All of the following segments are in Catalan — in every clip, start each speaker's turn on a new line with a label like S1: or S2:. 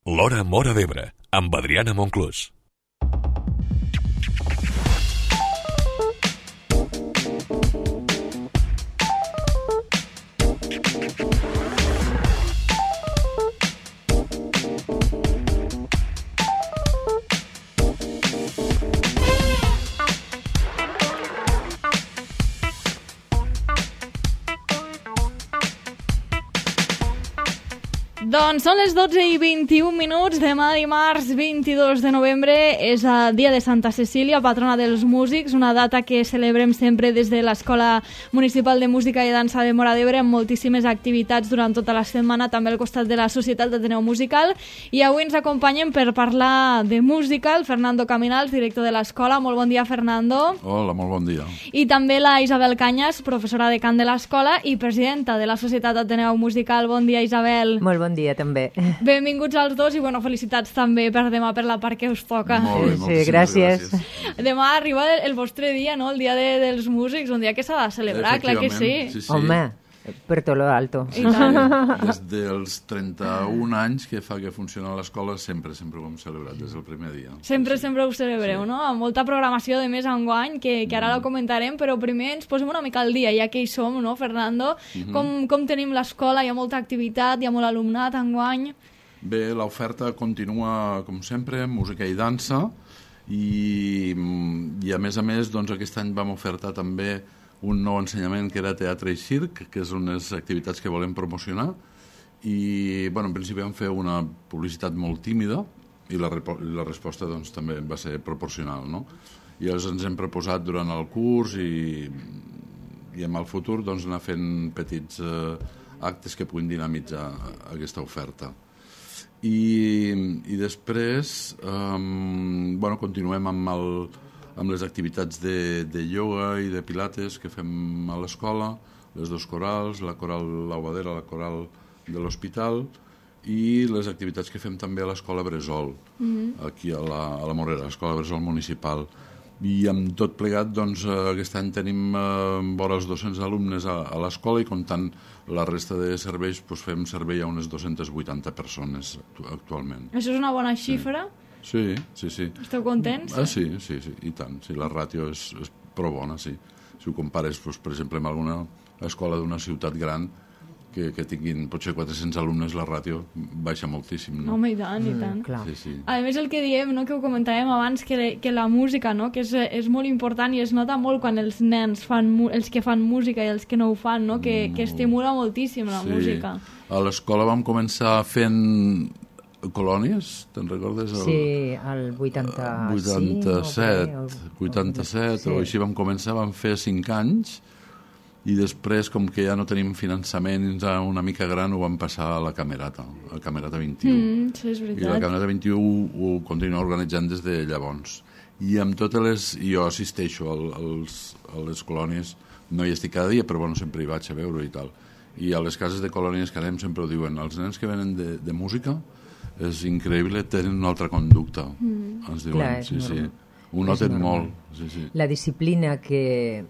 S1: L'Hora Móra d'Ebre, amb Adriana Monclús.
S2: Doncs són les 12:21, demà dimarts 22 de novembre és el dia de Santa Cecília, patrona dels músics, una data que celebrem sempre des de l'Escola Municipal de Música i Dansa de Móra d'Ebre amb moltíssimes activitats durant tota la setmana, també al costat de la Societat d'Ateneu Musical, i avui ens acompanyen per parlar de música el Fernando Caminals, director de l'escola. Molt bon dia, Fernando.
S3: Hola, molt bon dia.
S2: I també la Isabel Cañas, professora de cant de l'escola i presidenta de la Societat d'Ateneu Musical. Bon dia, Isabel.
S4: Molt bon dia, també.
S2: Benvinguts als dos i felicitats també per demà, per la part que us toca.
S3: Molt bé,
S4: gràcies.
S2: Demà arriba el vostre dia, no? El dia dels músics, un dia que s'ha de celebrar, clar que sí.
S3: Sí.
S4: Home, per tot lo alto.
S2: I tant.
S3: Des dels 31 anys que fa que funciona l'escola, sempre ho hem celebrat, des del primer dia.
S2: Sempre ho celebreu, no? Amb molta programació, de més enguany, que ara la comentarem, però primer ens posem una mica al dia, ja que hi som, no, Fernando? Com tenim l'escola? Hi ha molta activitat, hi ha molt alumnat enguany?
S3: Bé, l'oferta continua, com sempre, música i dansa, i a més, doncs, aquest any vam ofertar també un nou ensenyament que era teatre i circ, que és unes activitats que volem promocionar, i en principi vam fer una publicitat molt tímida i la resposta doncs, també va ser proporcional, no? I llavors ens hem proposat durant el curs i en el futur doncs, anar fent petits actes que puguin dinamitzar aquesta oferta. I després continuem amb les activitats de ioga i de pilates que fem a l'escola, les dos corals, la coral Laubadera, la coral de l'hospital, i les activitats que fem també a l'escola Bresol, aquí a la Morera, l'escola Bresol municipal. I amb tot plegat, doncs, aquest any tenim vora els 200 alumnes a l'escola, i comptant la resta de serveis, doncs, fem servei a unes 280 persones actualment.
S2: Això és una bona xifra?
S3: Sí.
S2: Esteu contents?
S3: Sí, i tant. Sí, la ràtio és prou bona, sí. Si ho compares, doncs, per exemple, amb alguna escola d'una ciutat gran que tinguin potser 400 alumnes, la ràtio baixa moltíssim, no?
S2: Home, i tant.
S4: Clar.
S3: Sí.
S2: A més, el que diem, no, que ho comentàvem abans, que la música, no, que és molt important i es nota molt quan els nens els que fan música i els que no ho fan, no, que estimula moltíssim la música.
S3: A l'escola vam començar fent colònies, te'n recordes?
S4: Sí, el 87
S3: o així vam començar, vam fer 5 anys, i després, com que ja no tenim finançament una mica gran, ho vam passar a la Camerata 21.
S2: Sí, és veritat.
S3: I la Camerata 21 ho continua organitzant des de llavors. I amb totes les... Jo assisteixo a les colònies, no hi estic cada dia, però sempre hi vaig a veure i tal. I a les cases de colònies que anem sempre ho diuen, els nens que venen de música és increïble, tenen una altra conducta, ens diuen.
S4: Clar,
S3: sí. Ho noten molt. Sí.
S4: La disciplina que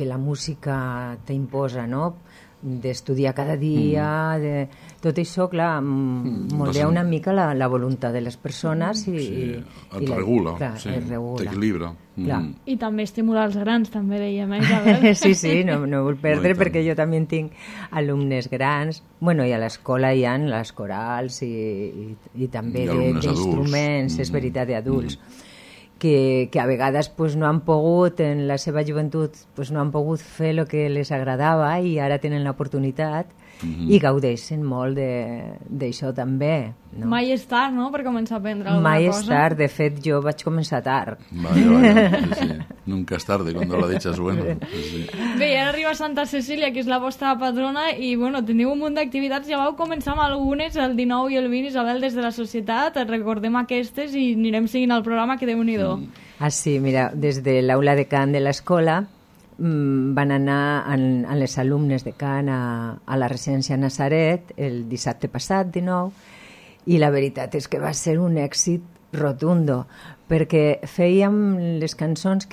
S4: la música t'imposa, no? D'estudiar cada dia, tot això, clar, moldea una mica la voluntat de les persones i
S3: et regula, t'equilibra.
S2: I també estimular els grans, també dèiem, Isabel?
S4: Sí, no vull perdre, perquè jo també tinc alumnes grans, i a l'escola hi ha les corals i també d'instruments, és veritat, d'adults, que a vegades no han pogut, en la seva joventut, no han pogut fer el que les agradava i ara tenen l'oportunitat i gaudeixen molt d'això també. No?
S2: Mai és tard, no?, per començar a aprendre alguna cosa.
S4: Mai és tard, de fet jo vaig començar tard.
S3: Vaya, sí. Nunca es tarde, cuando la dicha es buena. Sí.
S2: Bé, ara arriba Santa Cecília, que és la vostra patrona, i teniu un munt d'activitats, ja vau començar amb algunes, el 19 i el 20, Isabel, des de la societat, recordem aquestes i anirem seguint el programa, que Déu-n'hi-do.
S4: Sí, mira, des de l'aula de cant de l'escola van anar amb les alumnes de cant a la residència Nazaret el dissabte passat, 19, i la veritat és que va ser un èxit rotundo, perquè fèiem les cançons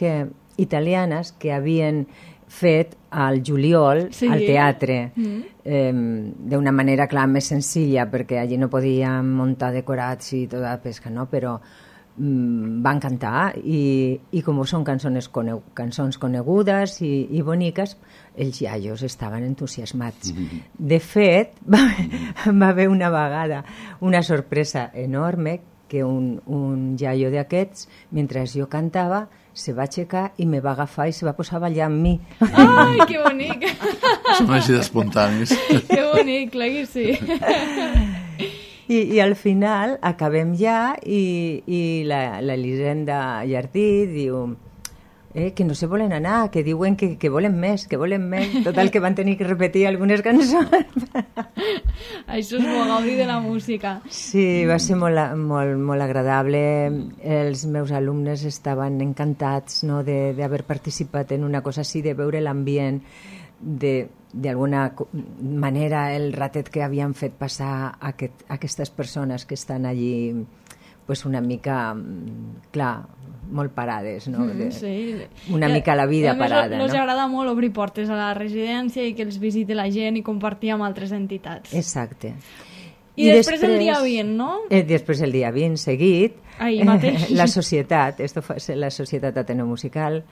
S4: italianes que havien fet al juliol, al teatre, d'una manera, clar, més senzilla, perquè allí no podíem muntar decorats i tota la pesca, no? Però van cantar i com són cançons conegudes i boniques, els iaios estaven entusiasmats. De fet, va haver una vegada una sorpresa enorme que un iaio d'aquests, mentre jo cantava, se va aixecar i me va agafar i se va posar a ballar amb mi.
S2: Ai, que bonic!
S3: Són així d'espontanis.
S2: Que bonic, clar que sí.
S4: I al final acabem ja i l'Elisenda Jardí diu que no se volen anar, que diuen que volen més, total que van tenir que repetir algunes cançons.
S2: Això és molt gaudi de la música.
S4: Sí, va ser molt agradable. Els meus alumnes estaven encantats, no, d'haver participat en una cosa així, de veure l'ambient, d'alguna manera el ratet que havien fet passar aquestes persones que estan allí pues una mica, clar, molt parades, no?
S2: Sí.
S4: Una mica la vida parada.
S2: Ens agrada molt obrir portes a la residència i que els visiti la gent i compartir amb altres entitats.
S4: Exacte.
S2: I després el dia 20, no?
S4: Després el dia 20, seguit,
S2: ahir mateix.
S4: La societat, la Societat Ateneu Musical,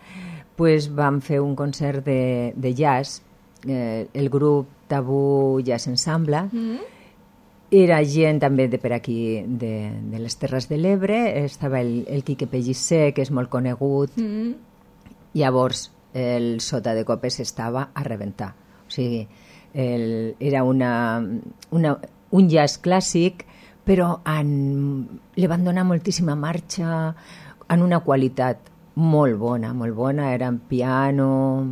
S4: pues vam fer un concert de jazz, el grup Tabú Jazz Ensemble. Era gent també de per aquí, de les Terres de l'Ebre, estava el Quique Pellicer, que és molt conegut, llavors el Sota de Copes estava a rebentar. O sigui, era un jazz clàssic, però li van donar moltíssima marxa, en una qualitat molt bona, eren piano,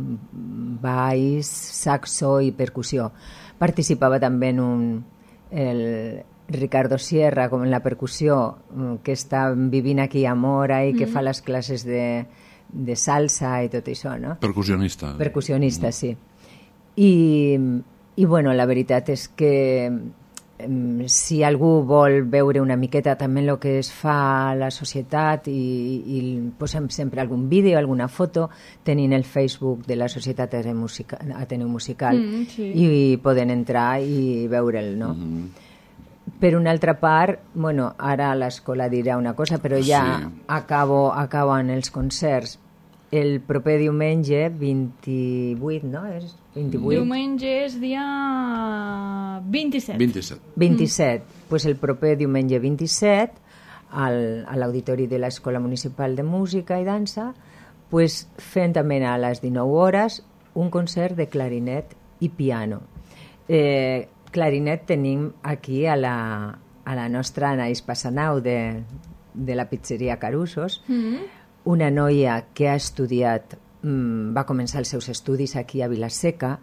S4: baix, saxo i percussió. Participava també el Ricardo Sierra, com en la percussió, que està vivint aquí a Mora i que fa les classes de salsa i tot això, no?
S3: Percussionista.
S4: Percussionista, sí. I bueno, la veritat és que si algú vol veure una miqueta també el que es fa a la societat i posem sempre algun vídeo, alguna foto, tenint el Facebook de la Societat Ateneu Musical i poden entrar i veure'l, no? Per una altra part, bueno, ara l'escola dirà una cosa, però ja acaben els concerts el proper diumenge 28, no? És 28?
S2: Diumenge és dia 27.
S4: 27. Pues el proper diumenge 27 a l'auditori de l'Escola Municipal de Música i Dansa, pues fent també a les 19 hores un concert de clarinet i piano. Clarinet tenim aquí a la nostra Anaïs Passanau de la pizzeria Carusos, una noia que ha estudiat, va començar els seus estudis aquí a Vila-seca,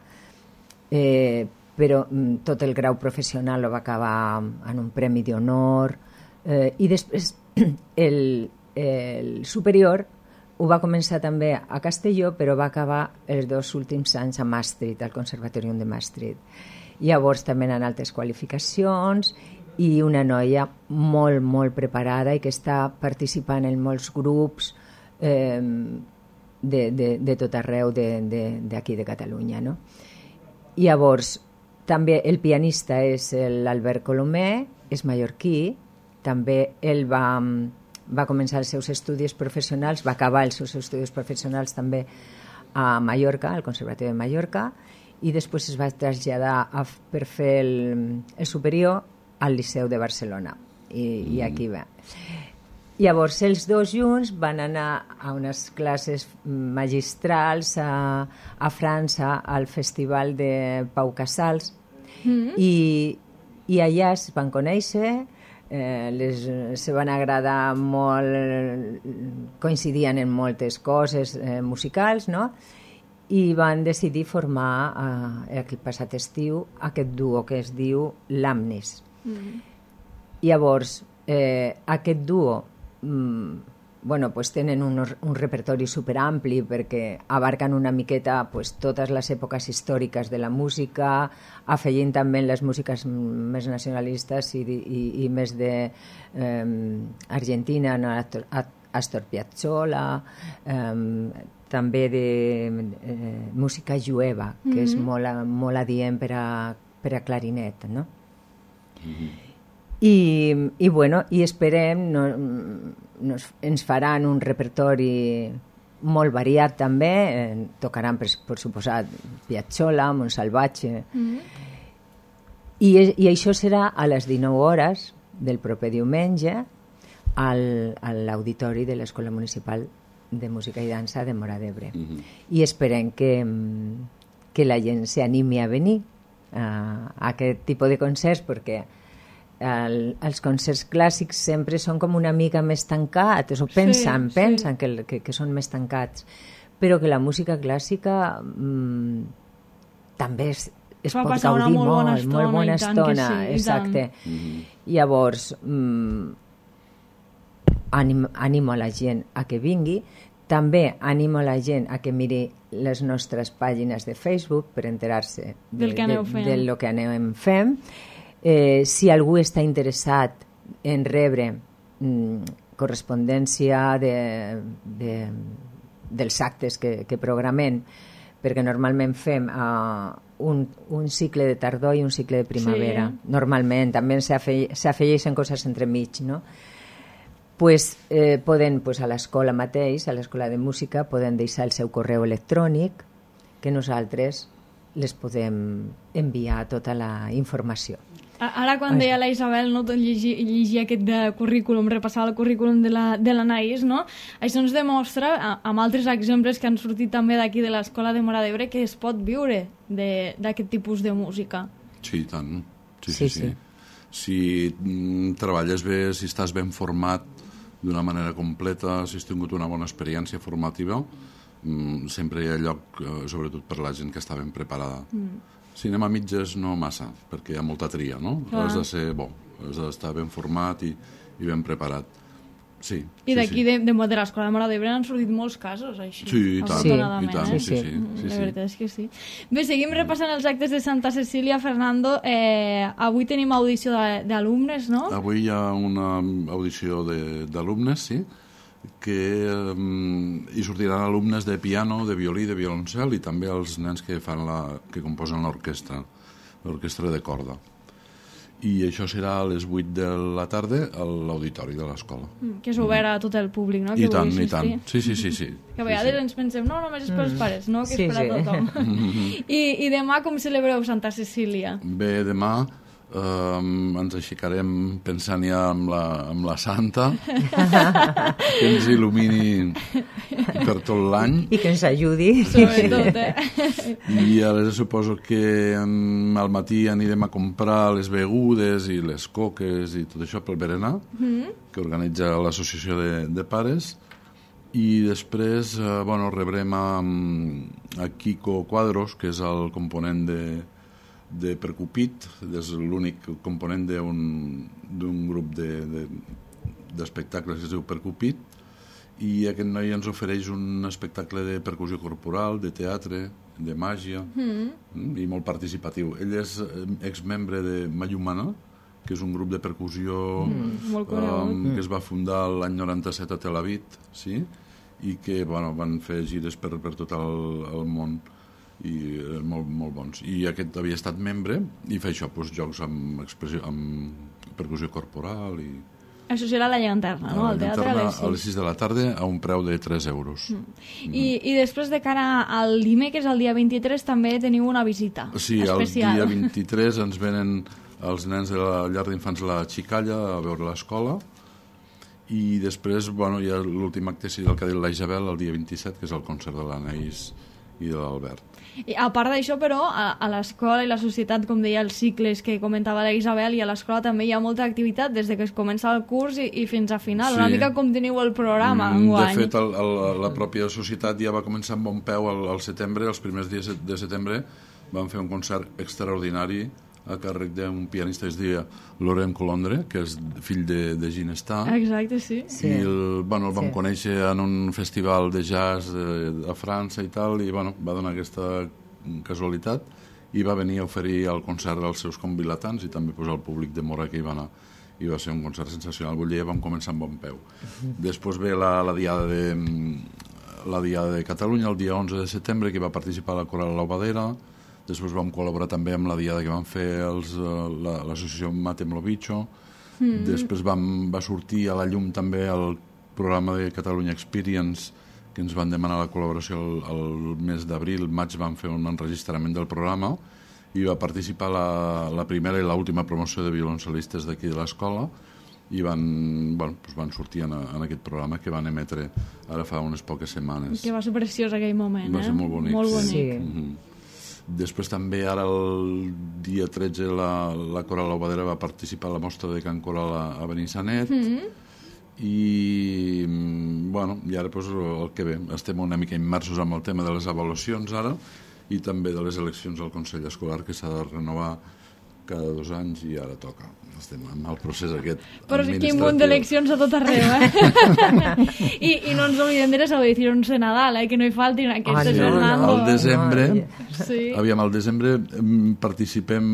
S4: però tot el grau professional el va acabar en un premi d'honor, i després el superior ho va començar també a Castelló, però va acabar els 2 últims anys a Maastricht, al Conservatorium de Maastricht. Llavors també en altres qualificacions, i una noia molt, molt preparada i que està participant en molts grups de tot arreu d'aquí de Catalunya, no? Llavors, també el pianista és l'Albert Colomé, és mallorquí, també ell va començar els seus estudis professionals, va acabar els seus estudis professionals també a Mallorca, al Conservatori de Mallorca, i després es va traslladar per fer el superior al Liceu de Barcelona, i aquí va. Llavors, els dos junts van anar a unes classes magistrals a França, al Festival de Pau Casals, i allà es van conèixer, se van agradar molt, coincidien en moltes coses musicals, no? I van decidir formar el passat estiu aquest duo que es diu l'Amnis. Llavors, aquest duo tenen un repertori superampli perquè abarquen una miqueta totes les èpoques històriques de la música, afegint també les músiques més nacionalistes i més d'Argentina, Astor Piazzolla, també de música jueva, que és molt adient per a clarinet, no? I bueno, i esperem, ens faran un repertori molt variat també, tocaran per suposat Piazzolla, Montsalvatge, i això serà a les 19 hores del proper diumenge a l'auditori de l'Escola Municipal de Música i Dansa de Móra d'Ebre. I esperem que la gent s'animi a venir a aquest tipus de concerts, perquè els concerts clàssics sempre són com una mica més tancats, o pensen que són més tancats, però que la música clàssica també es pot gaudir molt bona estona. Exacte. Llavors, animo a la gent a que vingui. També animo a la gent a que miri les nostres pàgines de Facebook per enterar-se del que anem fent. Si algú està interessat en rebre correspondència dels actes que programem, perquè normalment fem un cicle de tardor i un cicle de primavera. Normalment, també s'afegeixen coses entremig, no? Pues, poden, a l'escola mateix, a l'escola de música, poden deixar el seu correu electrònic, que nosaltres les podem enviar tota la informació.
S2: Ara, quan deia la Isabel, no, llegir aquest currículum, repassar el currículum de l'Anaïs, no? Això ens demostra, amb altres exemples que han sortit també d'aquí de l'Escola de Móra d'Ebre, que es pot viure d'aquest tipus de música.
S3: Sí, i tant. Sí. Si treballes bé, si estàs ben format d'una manera completa, si has tingut una bona experiència formativa, sempre hi ha lloc, sobretot per la gent que està ben preparada. Si anem a mitges, no massa, perquè hi ha molta tria, no? Has de ser bo, has d'estar ben format i ben preparat. Sí.
S2: I d'aquí, de l'Escola de Móra d'Ebre, han sortit molts casos, així.
S3: Sí, i tant. Sí.
S2: La veritat és que sí. Bé, seguim repassant els actes de Santa Cecília, Fernando. Avui tenim audició d'alumnes, no?
S3: Avui hi ha una audició d'alumnes, sí, que hi sortiran alumnes de piano, de violí, de violoncel i també els nens que composen l'orquestra de corda. I això serà a les 8 de la tarda a l'auditori de l'escola.
S2: Que és obert a tot el públic, no?
S3: I tant. Sí.
S2: Que a vegades ens pensem, no, només és per als pares, no? Que és per a tothom. I demà com celebreu Santa Cecília?
S3: Bé, demà ens aixecarem pensant ja amb la Santa, que ens il·lumini per tot l'any
S4: i que ens ajudi
S2: sobretot,
S3: i ara suposo que al matí anirem a comprar les begudes i les coques i tot això pel berenar que organitza l'associació de pares, i després rebrem a Kiko Quadros, que és el component de Percupit, és l'únic component d'un grup d'espectacles que es diu Percupit, i aquest noi ens ofereix un espectacle de percussió corporal, de teatre, de màgia, i molt participatiu. Ell és exmembre de Mayumana, que és un grup de percussió que es va fundar l'any 97 a Tel Aviv, sí? I que van fer gires per tot el món, i molt bons. I aquest havia estat membre i fa això, jocs amb percussió corporal i...
S2: Això serà la llanterna, no? Al teatre
S3: a les 6 de la tarda a un preu de 3 euros.
S2: I després de cara al dimecres, el dia 23, també teniu una visita especial.
S3: Sí, el dia 23 ens venen els nens de la llar d'infants La Xicalla a veure l'escola, i després hi ha l'últim acte, el que ha dit la Isabel, el dia 27, que és el concert de l'Anaïs i de l'Albert.
S2: I a part d'això, però, a l'escola i la societat, com deia, els cicles que comentava la Isabel, i a l'escola també hi ha molta activitat des que es comença el curs i fins a final. Una mica com teniu el programa enguany.
S3: De fet, la pròpia societat ja va començar amb bon peu al setembre. Els primers dies de setembre van fer un concert extraordinari a càrrec d'un pianista que es deia Laurent Colondre, que és fill de Ginestar.
S2: Exacte, sí.
S3: I el vam conèixer en un festival de jazz a França i tal, i va donar aquesta casualitat i va venir a oferir el concert als seus convilatants i també al públic de Móra que hi va anar. I va ser un concert sensacional. Vull dir, vam començar amb bon peu. Després ve la diada la Diada de Catalunya el dia 11 de setembre, que va participar la Coral L'Obadera. Després vam col·laborar també amb la Diada que van fer l'associació Matem lo Bicho. Després va sortir a la llum també el programa de Catalunya Experience, que ens van demanar la col·laboració el mes d'abril, maig van fer un enregistrament del programa i va participar la primera i l'última promoció de violoncelistes d'aquí de l'escola i van sortir en aquest programa que van emetre ara fa unes poques setmanes.
S2: Que va ser preciós aquell moment,
S3: Va ser molt bonic.
S2: Molt bonic.
S4: Sí.
S3: Després també ara el dia 13 la Coral L'Obadera va participar a la mostra de Can Coral a Benissanet i ara el que ve, estem una mica immersos amb el tema de les avaluacions ara i també de les eleccions al Consell Escolar que s'ha de renovar cada 2 anys i ara toca. Estem en el procés aquest
S2: però sí que hi ha un munt d'eleccions a tot arreu, I no ens oblidem de les audicions de Nadal, que no hi faltin aquestes, Fernando.
S3: Al desembre participem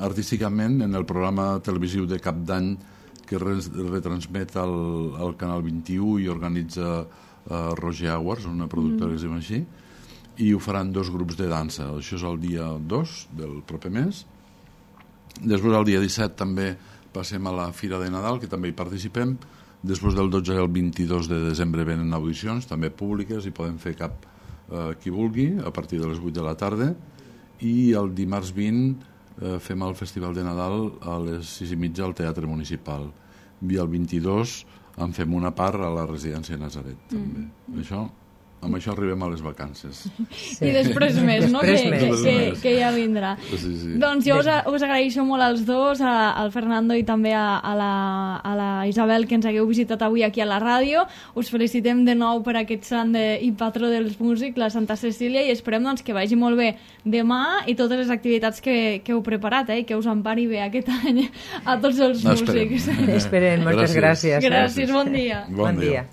S3: artísticament en el programa televisiu de Cap d'Any que retransmet al Canal 21 i organitza Roger Aguars, una productora que es diu així, i ho faran 2 grups de dansa. Això és el dia 2 del proper mes. Després el dia 17 també passem a la Fira de Nadal, que també hi participem. Després del 12 al 22 de desembre venen audicions, també públiques, i poden fer qui vulgui, a partir de les 8 de la tarda. I el dimarts 20 fem el Festival de Nadal a les 6:30 al Teatre Municipal. I el 22 en fem una part a la residència de Nazaret, també. Amb això arribem a les vacances.
S2: Sí. I després més, no? Que ja vindrà.
S3: Sí.
S2: Doncs jo us agraeixo molt als dos, al Fernando i també a la Isabel, que ens hagueu visitat avui aquí a la ràdio. Us felicitem de nou per aquest sant i patró dels músics, la Santa Cecília, i esperem que vagi molt bé demà i totes les activitats que heu preparat, i que us empari bé aquest any a tots els músics.
S4: Esperem, moltes gràcies.
S2: Gràcies, bon dia.
S3: Bon dia.